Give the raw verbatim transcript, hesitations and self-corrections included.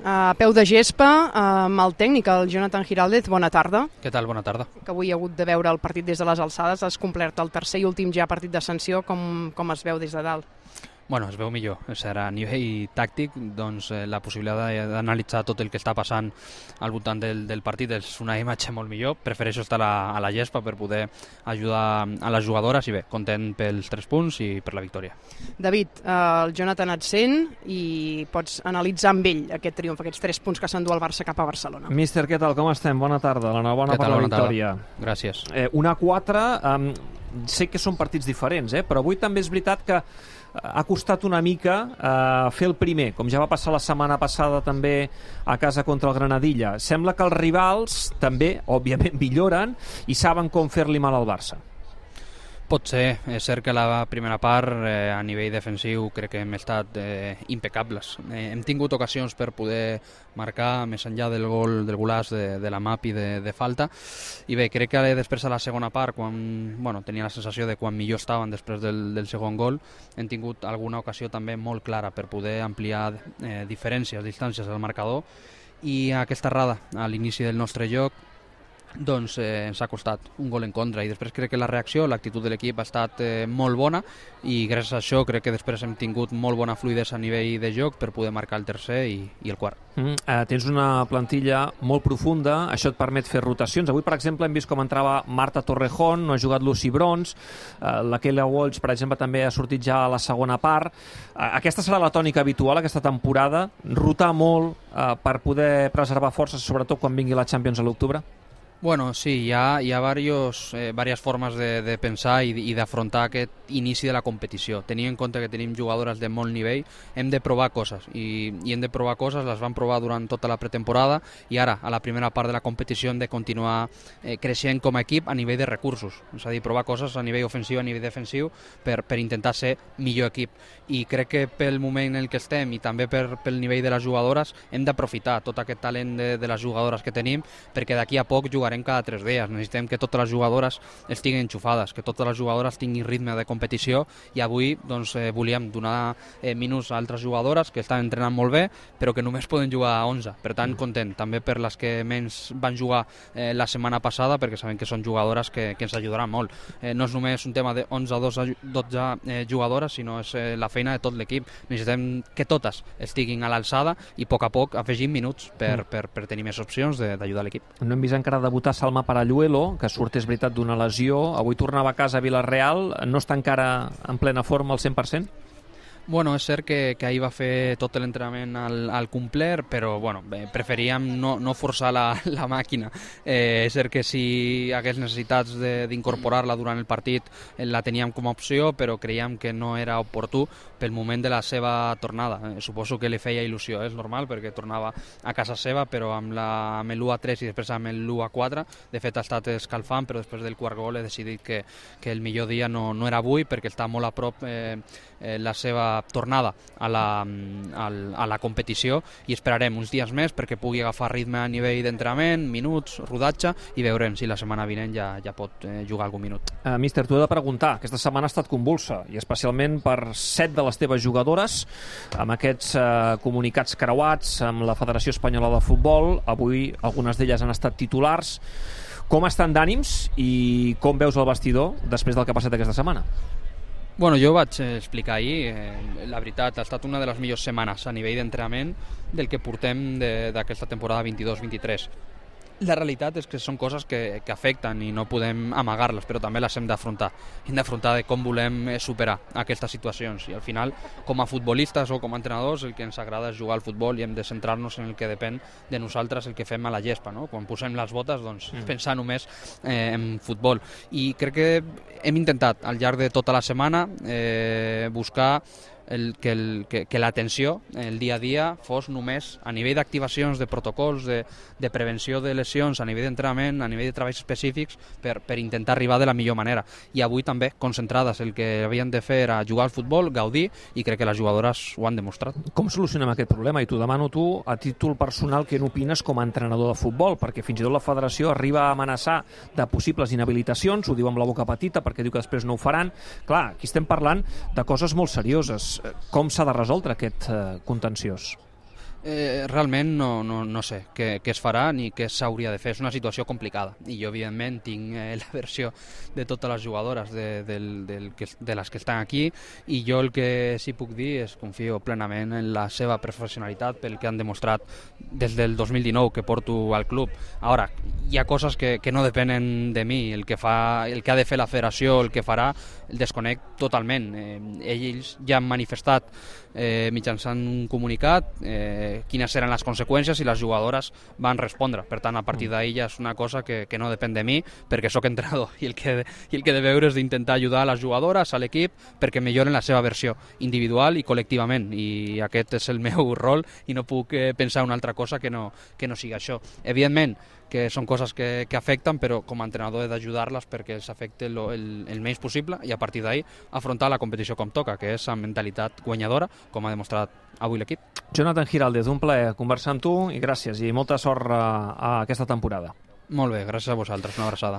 A peu de gespa, amb el tècnic, el Jonathan Giraldez. Bona tarda. Què tal? Bona tarda. Que avui ha hagut de veure el partit des de les alçades. Has complert el tercer i últim ja partit de sanció. Com, com es veu des de dalt? Bueno, es veu millor. Serà a nivell tàctic, doncs, eh, la possibilitat d'analitzar tot el que està passant al voltant del, del partit és una imatge molt millor. Prefereixo estar a, a la gespa per poder ajudar a les jugadores i bé, content pels tres punts i per la victòria. David, eh, el Jonathan et sent i pots analitzar amb ell aquest triomf, aquests tres punts que s'endú el Barça cap a Barcelona. Míster, què tal? Com estem? Bona tarda. L'enhorabona per la victòria. Gràcies. Eh, una quatre, eh, sé que són partits diferents, eh, però avui també és veritat que ha costat una mica eh, fer el primer, com ja va passar la setmana passada també a casa contra el Granadilla. Sembla que els rivals també, òbviament, milloren i saben com fer-li mal al Barça. Pot ser, és cert que la primera part eh, a nivell defensiu crec que hem estat eh, impecables. Eh, hem tingut ocasions per poder marcar més enllà del gol del golaç de, de la Map i de, de falta, i bé, crec que després a la segona part, quan bueno, tenia la sensació de quan millor estaven després del, del segon gol, hem tingut alguna ocasió també molt clara per poder ampliar eh, diferències, distàncies al marcador, i aquesta errada a l'inici del nostre joc doncs eh, ens ha costat un gol en contra, i després crec que la reacció, l'actitud de l'equip ha estat eh, molt bona, i gràcies a això crec que després hem tingut molt bona fluïdesa a nivell de joc per poder marcar el tercer i, i el quart. Mm, eh, tens una plantilla molt profunda, això et permet fer rotacions. Avui, per exemple, hem vist com entrava Marta Torrejón, no ha jugat Lucy Brons, eh, la Keila Walsh, per exemple, també ha sortit ja a la segona part. Eh, aquesta serà la tònica habitual aquesta temporada, rotar molt eh, per poder preservar forces, sobretot quan vingui la Champions a l'octubre? Bueno, sí, hi ha, hi ha varios, eh, varias formes de, de pensar i, i d'afrontar aquest inici de la competició. Tenint en compte que tenim jugadores de molt nivell, hem de provar coses, i, i hem de provar coses, les vam provar durant tota la pretemporada, i ara, a la primera part de la competició, hem de continuar eh, creixent com a equip a nivell de recursos, és a dir, provar coses a nivell ofensiu, a nivell defensiu, per, per intentar ser millor equip. I crec que pel moment en el que estem i també per, pel nivell de les jugadores hem d'aprofitar tot aquest talent de, de les jugadores que tenim, perquè d'aquí a poc jugarem cada tres dies. Necessitem que totes les jugadores estiguin enxufades, que totes les jugadores tinguin ritme de competició, i avui doncs, eh, volíem donar eh, minuts a altres jugadores que estan entrenant molt bé, però que només poden jugar a onze. Per tant, content, també per les que menys van jugar eh, la setmana passada, perquè sabem que són jugadores que, que ens ajudaran molt. Eh, no és només un tema de onze o dotze eh, jugadores, sinó és eh, la feina de tot l'equip. Necessitem que totes estiguin a l'alçada i a poc a poc afegim minuts per, per, per tenir més opcions d'ajudar l'equip. No hem vist encara debutar Salma Paralluelo, que surt, és veritat, d'una lesió. Avui tornava a casa a Vilareal. No està encara en plena forma al cent per cent? Bueno, és cert que, que ahir va fer tot l'entrenament al, al complet, però bueno, bé, preferíem no, no forçar la, la màquina. Eh, és cert que si hagués necessitats d'incorporar-la durant el partit eh, la teníem com a opció, però creiem que no era oportú pel moment de la seva tornada. Eh, suposo que li feia il·lusió, eh? És normal, perquè tornava a casa seva, però amb l'u a tres i després amb l'u a quatre, de fet ha estat escalfant, però després del quart gol he decidit que, que el millor dia no, no era avui, perquè està molt a prop eh, eh, la seva tornada a la, a, a la competició, i esperarem uns dies més perquè pugui agafar ritme a nivell d'entrenament, minuts, rodatge, i veurem si la setmana vinent ja, ja pot eh, jugar algun minut. Uh, míster, t'ho he de preguntar. Aquesta setmana ha estat convulsa, i especialment per set de les teves jugadores, amb aquests uh, comunicats creuats amb la Federació Espanyola de Futbol. Avui algunes d'elles han estat titulars. Com estan d'ànims i com veus el vestidor després del que ha passat aquesta setmana? Bueno, jo vaig explicar ahir, eh, la veritat, ha estat una de les millors setmanes a nivell d'entrenament del que portem d'aquesta temporada vint-i-dos vint-i-tres. La realitat és que són coses que, que afecten i no podem amagar-les, però també les hem d'afrontar. Hem d'afrontar de com volem superar aquestes situacions, i al final, com a futbolistes o com a entrenadors, el que ens agrada és jugar al futbol, i hem de centrar-nos en el que depèn de nosaltres, el que fem a la gespa, no? Quan posem les botes, doncs, mm. pensar només eh, en futbol. I crec que hem intentat, al llarg de tota la setmana, eh, buscar el, que, el, que, que l'atenció, el dia a dia, fos només a nivell d'activacions, de protocols, de, de prevenció de lesions, a nivell d'entrenament, a nivell de treballs específics, per, per intentar arribar de la millor manera. I avui també, concentrades, el que havien de fer era jugar al futbol, gaudir, i crec que les jugadores ho han demostrat. Com solucionem aquest problema? I t'ho demano tu, a títol personal, què n'opines com a entrenador de futbol? Perquè fins i tot la federació arriba a amenaçar de possibles inhabilitacions, ho diu amb la boca petita perquè diu que després no ho faran. Clar, aquí estem parlant de coses molt serioses. Com s'ha de resoldre aquest eh, contenciós? Eh, realment no, no, no sé què, què es farà ni què s'hauria de fer. És una situació complicada i jo evidentment tinc eh, la versió de totes les jugadores de, del, del, que, de les que estan aquí, i jo el que sí puc dir és confio plenament en la seva professionalitat pel que han demostrat des del dos mil dinou que porto al club. Ara, hi ha coses que, que no depenen de mi, el que, fa, el que ha de fer la federació, el que farà, el desconec totalment. Eh, ells ja han manifestat eh, mitjançant un comunicat eh, quines eren les conseqüències i les jugadores van respondre. Per tant, a partir d'ahir ja és una cosa que, que no depèn de mi, perquè sóc entrenador i el que, i el que he de veure és d'intentar ajudar a les jugadores, a l'equip, perquè milloren la seva versió individual i col·lectivament, i aquest és el meu rol i no puc eh, pensar una altra cosa que no, que no sigui això. Evidentment que són coses que, que afecten, però com a entrenador he d'ajudar-les perquè els afecti el, el, el menys possible i a partir d'ahir afrontar la competició com toca, que és amb mentalitat guanyadora, com ha demostrat avui l'equip. Jonathan Giraldez, un plaer conversar amb tu i gràcies i molta sort a, a aquesta temporada. Molt bé, gràcies a vosaltres, una abraçada.